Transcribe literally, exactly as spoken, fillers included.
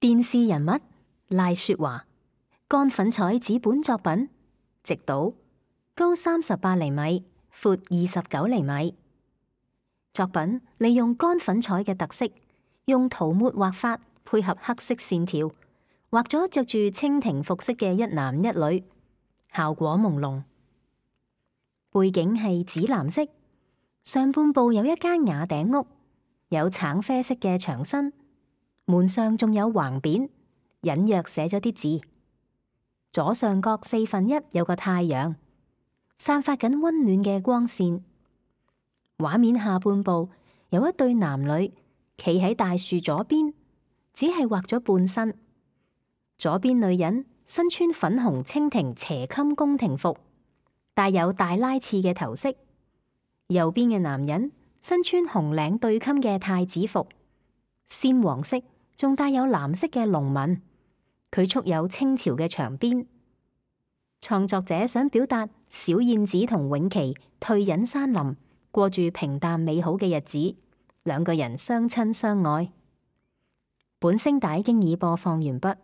電視人物賴雪華，乾粉彩紙本作品，直島，高三十八厘米，闊二十九厘米。作品利用乾粉彩嘅特色，用塗抹畫法配合黑色線條，畫咗着住蜻蜓服飾嘅一男一女，效果朦朧。背景係紫藍色，上半部有一間瓦頂屋，有橙啡色嘅牆身，門上仲有橫匾，隱約寫咗啲字。左上角四分一有個太陽，散發緊溫暖嘅光線。畫面下半部有一對男女企喺大樹左邊，只係畫咗半身。左邊女人身穿粉紅蜻蜓斜襟宮廷服，帶有大拉刺嘅頭飾。右邊嘅男人身穿紅領對襟嘅太子服，鮮黃色仲帶有藍色嘅龍紋，佢束有清朝嘅長辮。創作者想表達小燕子同永琪退隱山林，過住平淡美好嘅日子，兩個人相親相愛。本聲帶經已播放完畢。